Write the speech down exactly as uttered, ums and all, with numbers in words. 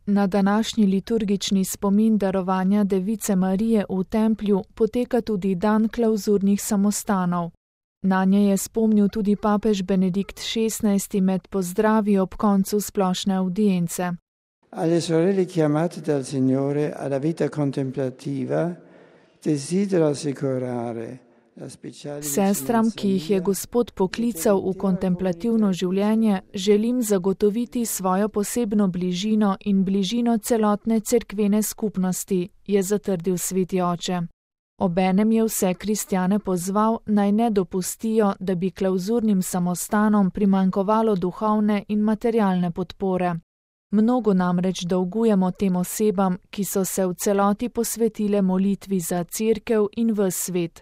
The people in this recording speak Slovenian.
Na današnji liturgični spomin darovanja Device Marije v templju poteka tudi dan klavzurnih samostanov. Nanje je spomnil tudi papež Benedikt šestnajsti med pozdravi ob koncu splošne avdience. Alle sorelle chiamate dal Signore alla vita contemplativa desidero assicurare la speciale Sestram, ki jih je Gospod poklical v kontemplativno življenje, želim zagotoviti svojo posebno bližino in bližino celotne cerkvene skupnosti, je zatrdil sveti oče. Obenem je vse kristjane pozval, naj ne dopustijo, da bi klavzurnim samostanom primanjkovalo duhovne in materialne podpore. Mnogo namreč dolgujemo tem osebam, ki so se v celoti posvetile molitvi za cerkev in ves svet.